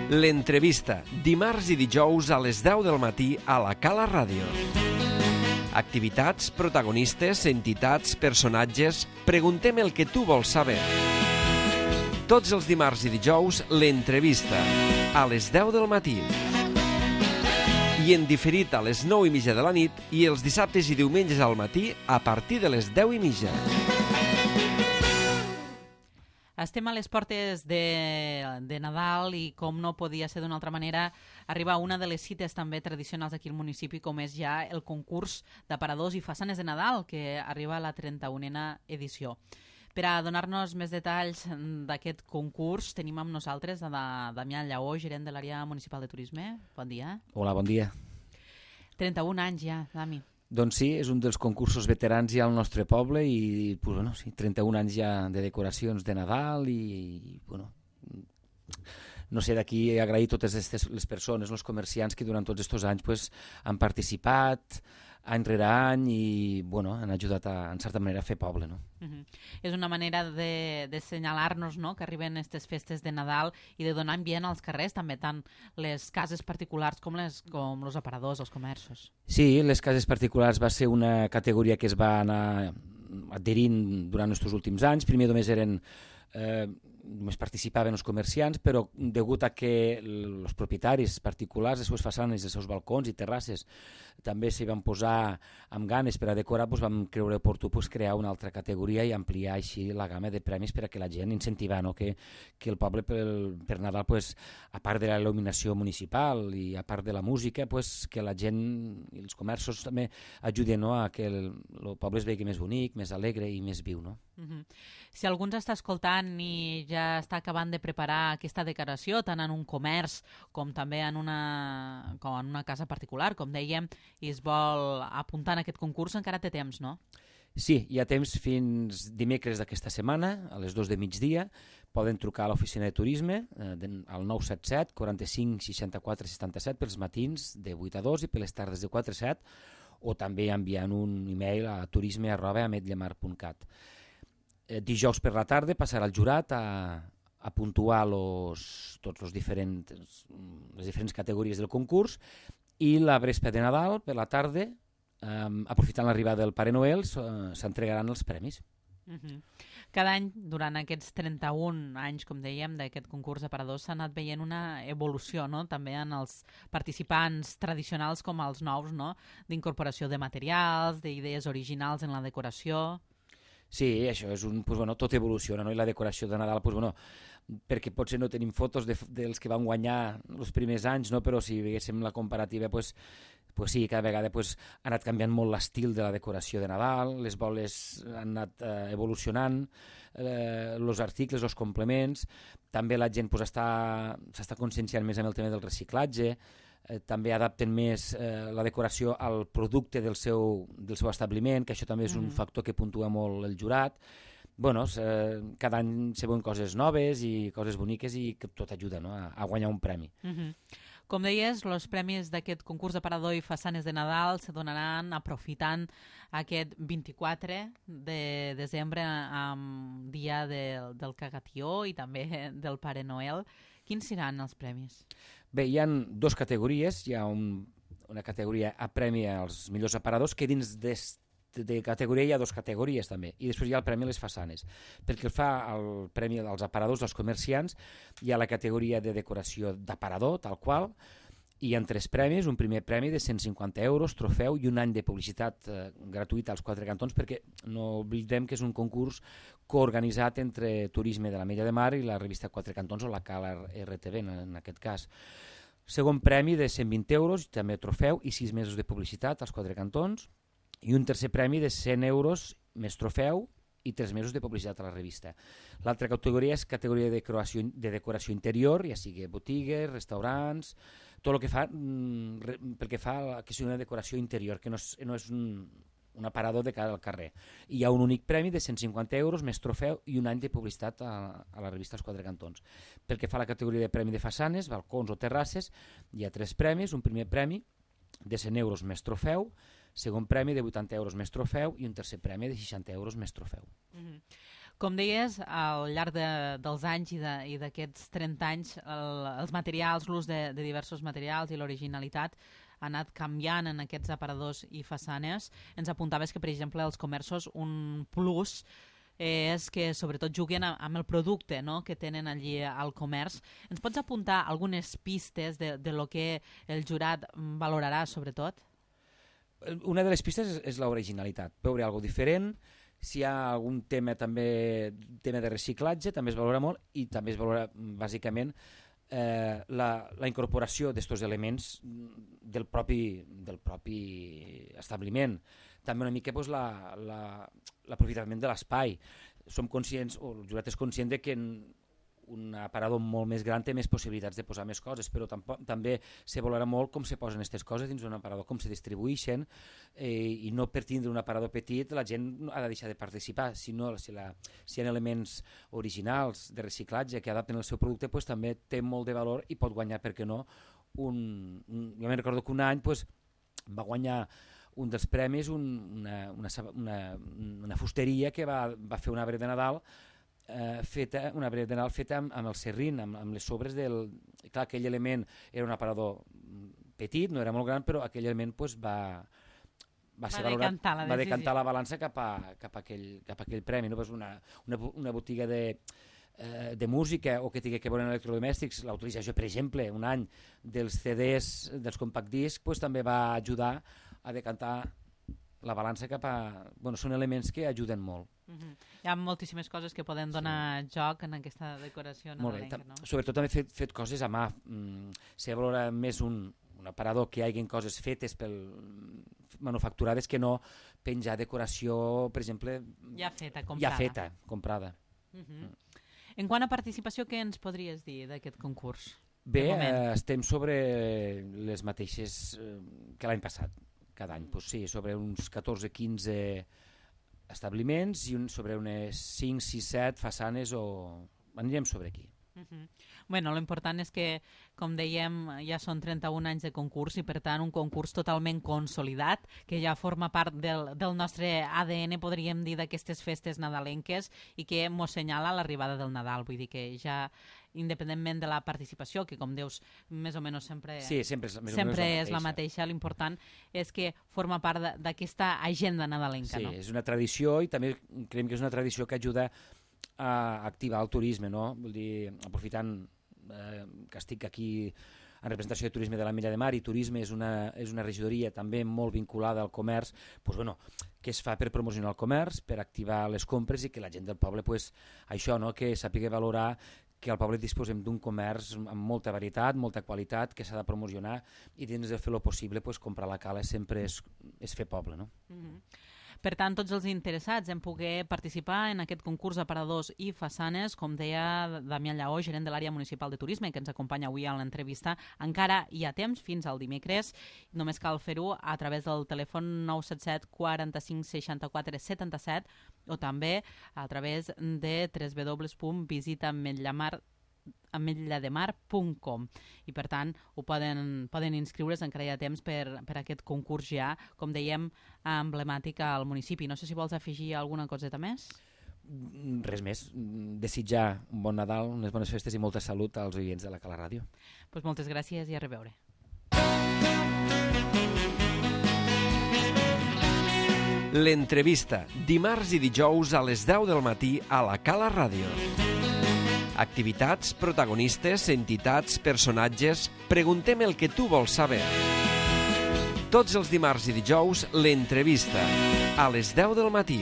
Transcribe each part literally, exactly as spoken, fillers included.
L'entrevista, dimarts i dijous a les deu del matí a la Cala Ràdio. Activitats, protagonistes, entitats, personatges... Preguntem el que tu vols saber. Tots els dimarts i dijous, l'entrevista, a les deu del matí. I en diferit a les nou i mitja de la nit i els dissabtes i diumenges al matí a partir de les deu i mitja. Estem a les portes de, de Nadal i, com no podia ser d'una altra manera, arriba una de les cites també tradicionals aquí al municipi, com és ja el concurs d'aparadors i façanes de Nadal, que arriba a la trenta-unena edició. Per a donar-nos més detalls d'aquest concurs, tenim amb nosaltres a Damià Lleó, gerent de l'àrea municipal de turisme. Bon dia. Hola, bon dia. trenta-un anys ja, Dami. Doncs sí, és un dels concursos veterans ja al nostre poble i pues, bueno, sí, trenta-un anys ja de decoracions de Nadal i, i bueno, no sé, d'aquí agrair totes estes, les persones, els comerciants que durant tots aquests anys pues, han participat any rere any i bueno, han ajudat a, en certa manera a fer poble. No? Uh-huh. És una manera de, de senyalar-nos, no?, que arriben aquestes festes de Nadal i de donar ambient als carrers, també tant les cases particulars com les com els aparadors, els comerços. Sí, les cases particulars va ser una categoria que es va anar adherint durant els últims anys. Primer només eren... Eh, només participaven els comerciants, però degut a que els propietaris particulars, les seves façanes, els seus balcons i terrasses també s'hi van posar amb ganes per a decorar, doncs vam creure oportú pues, crear una altra categoria i ampliar així la gamma de premis per a que la gent incentivar, no? que, que el poble per, per Nadal, pues, a part de la il·luminació municipal i a part de la música, pues, que la gent i els comerços també ajuden, no? a que el, el poble es vegi més bonic, més alegre i més viu. No? Uh-huh. Si algú ens està escoltant i ja està acabant de preparar aquesta decoració, tant en un comerç com també en una, com en una casa particular, com dèiem, i es vol apuntar en aquest concurs, encara té temps, no? Sí, hi ha temps fins dimecres d'aquesta setmana, a les dos de migdia. Poden trucar a l'oficina de turisme eh, al nou set set, quaranta-cinc, seixanta-quatre, setanta-set pels matins de vuit a dos i per les tardes de quatre a set, o també enviant un e-mail a turisme arroba ametllemar punt cat. Eh, dijous per la tarda passarà el jurat a, a puntuar los, tots los diferents, les diferents categories del concurs i la vespre de Nadal, per la tarda, eh, aprofitant l'arribada del Pare Noel, s'entregaran els premis. Uh-huh. Cada any, durant aquests trenta-un anys, com dèiem, d'aquest concurs d'aparadors, s'ha anat veient una evolució, no?, també en els participants tradicionals com els nous, no?, d'incorporació de materials, d'idees originals en la decoració... Sí, això és un... Pues, bueno, tot evoluciona, no? I la decoració de Nadal, pues, bueno, perquè potser no tenim fotos de, dels que van guanyar els primers anys, no? Però si veiéssim la comparativa, pues, pues sí, cada vegada pues, ha anat canviant molt l'estil de la decoració de Nadal, les boles han anat eh, evolucionant, eh, els articles, els complements, també la gent pues, està, s'està conscienciant més amb el tema del reciclatge, Eh, també adapten més eh, la decoració al producte del seu, del seu establiment, que això també és un mm. factor que puntua molt el jurat. Bueno, eh, cada any se veuen coses noves i coses boniques i que tot ajuda, no?, a, a guanyar un premi. Mm-hmm. Com deies, els premis d'aquest concurs d'aparador i façanes de Nadal se donaran aprofitant aquest vint-i-quatre de desembre amb dia del, del Cagatió i també del Pare Noel. Quins seran els premis? Bé, hi ha dues categories. Hi ha un, una categoria a premi als millors aparadors, que dins de, de categoria hi ha dues categories també, i després hi ha el premi a les façanes. Perquè el fa el premi als aparadors, als comerciants, hi ha la categoria de decoració d'aparador, tal qual, i hi ha tres premis, un primer premi de cent cinquanta euros, trofeu i un any de publicitat eh, gratuïta als quatre cantons, perquè no oblidem que és un concurs coorganitzat entre Turisme de l'Ametlla de Mar i la revista Quatre Cantons o la Cala R T V en, en aquest cas. Segon premi de cent vint euros, també trofeu i sis mesos de publicitat als quatre cantons, i un tercer premi de cent euros més trofeu i tres mesos de publicitat a la revista. L'altra categoria és categoria de decoració, de decoració interior, ja sigui botigues, restaurants, tot el que fa, mm, pel que fa a la, que sigui una decoració interior, que no és, no és un, un aparador de cara al carrer. I hi ha un únic premi de cent cinquanta euros, més trofeu i un any de publicitat a, a la revista Els Quatre Cantons. Pel que fa a la categoria de premi de façanes, balcons o terrasses, hi ha tres premis, un primer premi de cent euros més trofeu, segon premi de vuitanta euros més trofeu i un tercer premi de seixanta euros més trofeu. Mm-hmm. Com deies, al llarg de, dels anys i d'aquests trenta anys, el, els materials, l'ús de, de diversos materials i l'originalitat ha anat canviant en aquests aparadors i façanes. Ens apuntaves que, per exemple, els comerços, un plus és que sobretot juguen amb el producte, no?, que tenen allí al comerç. Ens pots apuntar algunes pistes de, de lo que el jurat valorarà, sobretot? Una de les pistes és, és l'originalitat. Veure alguna cosa diferent, si hi ha algun tema també tema de reciclatge, també es valora molt, i també es valora, bàsicament, eh, la, la incorporació d'estos elements del propi, del propi establiment. També una mica pues, la, la, l'aprofitament de l'espai. Som conscients, o el jurat és conscient de que un aparador molt més gran té més possibilitats de posar més coses, però tampoc, també se valora molt com se posen aquestes coses dins d'un aparador, com se distribueixen, eh, i no per tindre un aparador petit la gent ha de deixar de participar, sinó si, la, si hi ha elements originals de reciclatge que adapten el seu producte, pues, també té molt de valor i pot guanyar, per què no, un, un, jo me'n recordo que un any pues, va guanyar un dels premis un, una, una, una, una fusteria que va, va fer un arbre de Nadal eh, feta, un arbre de Nadal feta amb, amb el serrín, amb, amb les sobres del... Clar, aquell element era un aparador petit, no era molt gran, però aquell element pues, va, va, ser va, valorat, decantar la va decantar la balança cap a, cap a, aquell, cap a aquell premi. No? Pues una, una, una botiga de... de música o que tingui que veure en electrodomèstics, la utilització, per exemple, un any dels C Ds, dels compact discs, pues, també va ajudar a decantar la balança cap a... Bueno, són elements que ajuden molt. Uh-huh. Hi ha moltíssimes coses que poden donar sí. joc en aquesta decoració nadalenca, no? Sobretot també fet, fet coses a mà. Mm, se valora més un, un aparador que hi hagi coses fetes pel manufacturades que no penjar decoració, per exemple... Ja feta, comprada. Ja feta, comprada. Uh-huh. Mm. En quant a participació, què ens podries dir d'aquest concurs? Bé, eh, estem sobre les mateixes eh, que l'any passat, cada any. Pues sí, sobre uns catorze quinze establiments i un, sobre unes cinc sis set façanes o... Anirem sobre aquí. Uh-huh. Bueno, l'important és que, com dèiem, ja són trenta-un anys de concurs i, per tant, un concurs totalment consolidat, que ja forma part del, del nostre A D N, podríem dir, d'aquestes festes nadalenques i que mos senyala l'arribada del Nadal. Vull dir que ja, independentment de la participació, que, com dius, més o menys sempre, sí, sempre, és, més sempre o menys és la mateixa, l'important és que forma part d'aquesta agenda nadalenca. Sí, no? És una tradició i també creiem que és una tradició que ajuda a activar el turisme, no? Vull dir, aprofitant eh, que estic aquí en representació de Turisme de la Mella de Mar i Turisme és una, és una regidoria també molt vinculada al comerç, pues, bueno, que es fa per promocionar el comerç, per activar les compres i que la gent del poble, pues, això, no? Que sàpiga valorar que al poble disposem d'un comerç amb molta varietat, molta qualitat, que s'ha de promocionar i dins de fer el possible, pues, comprar la cala sempre és, és fer poble, no? Mm-hmm. Per tant, tots els interessats en poder participar en aquest concurs d'aparadors i façanes, com deia Damià Lleó, gerent de l'àrea municipal de turisme, que ens acompanya avui a l'entrevista, encara hi ha temps fins al dimecres. Només cal fer-ho a través del telèfon nou set set quaranta-cinc seixanta-quatre setanta-set o també a través de w w w punt visita ametlla de mar punt com i per tant ho poden, poden inscriure's, encara hi ha temps per, per aquest concurs ja, com dèiem, emblemàtic al municipi. No sé si vols afegir alguna coseta més? Res més, desitjar un bon Nadal, unes bones festes i molta salut als oients de la Cala Ràdio. Pues moltes gràcies i a reveure. L'entrevista, dimarts i dijous a les deu del matí a la Cala Ràdio. Activitats, protagonistes, entitats, personatges... Preguntem el que tu vols saber. Tots els dimarts i dijous, l'entrevista, a les deu del matí.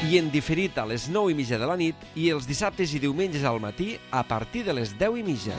I en diferit a les nou i mitja de la nit i els dissabtes i diumenges al matí a partir de les deu i mitja.